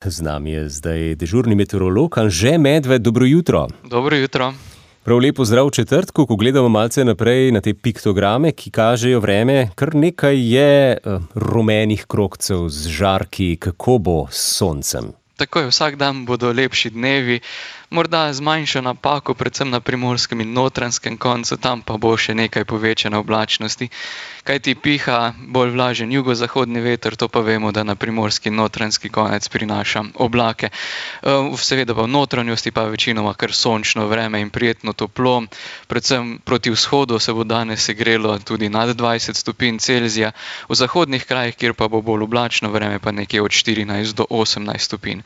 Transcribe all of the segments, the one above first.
Z nami je zdaj dežurni meteorolog Anže Medved. Dobro jutro. Dobro jutro. Prav lepo zdrav v četrtku, ko gledamo malce naprej na te piktograme, ki kažejo vreme. Kar nekaj je rumenih krogcev z žarki, kako bo s soncem. Tako je, vsak dan bodo lepši dnevi, morda z manjšo napako, predvsem na primorskem in notranjskem koncu, tam pa bo še nekaj povečane oblačnosti. Kajti piha bolj vlažen jugozahodni veter, to pa vemo, da na primorski in notranjski konec prinaša oblake. Seveda pa v notranjosti pa večinoma kar sončno vreme in prijetno toplo. Predvsem proti vzhodu se bo danes segrelo tudi nad 20 stopinj Celzija, v zahodnih krajih, kjer pa bo bolj oblačno vreme, pa nekje od 14 do 18 stopinj.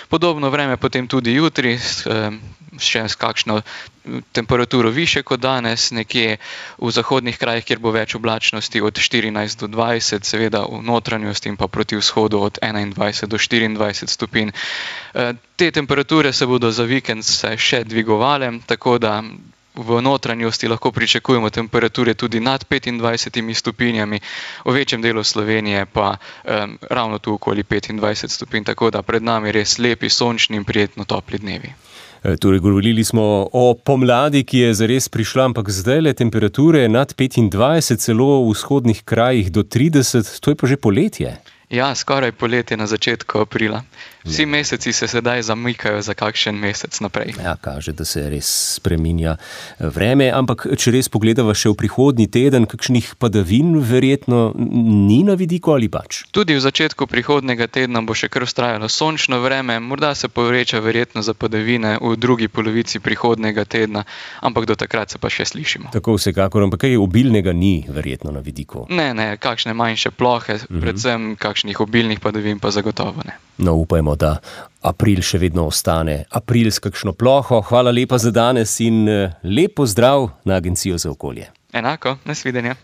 Podobno vreme potem tudi jutri, še s kakšno temperaturo više kot danes, nekje v zahodnih krajih, kjer bo več oblačnosti od 14 do 20, seveda v notranjosti in pa proti vzhodu od 21 do 24 stopinj. Te temperature se bodo za vikend še dvigovale, tako da v notranjosti lahko pričakujemo temperature tudi nad 25 stopinjami, v večjem delu Slovenije pa ravno tu okoli 25 stopinj, tako da pred nami res lepi, sončni in prijetno topli dnevi. Torej, govorili smo o pomladi, ki je zares prišla, ampak zdajle temperature nad 25, celo v vzhodnih krajih do 30, to je pa že poletje. Ja, skoraj poletje na začetku aprila. Vsi meseci se sedaj zamikajo za kakšen mesec naprej. Ja, kaže, da se res spreminja vreme, ampak če res pogledava še v prihodnji teden, kakšnih padavin verjetno ni na vidiku ali pač? Tudi v začetku prihodnega tedna bo še kar vztrajalo sončno vreme, morda se poveča verjetno za padavine v drugi polovici prihodnega tedna, ampak do takrat se pa še slišimo. Tako vsekakor, ampak kaj obilnega ni verjetno na vidiku? Ne, kakšne manjše plohe, predvsem kakšnih obilnih padavin pa zagotovo ne. No, upajmo, da april še vedno ostane april s kakšno ploho. Hvala lepa za danes in lep pozdrav na Agencijo za okolje. Enako, nasvidenja.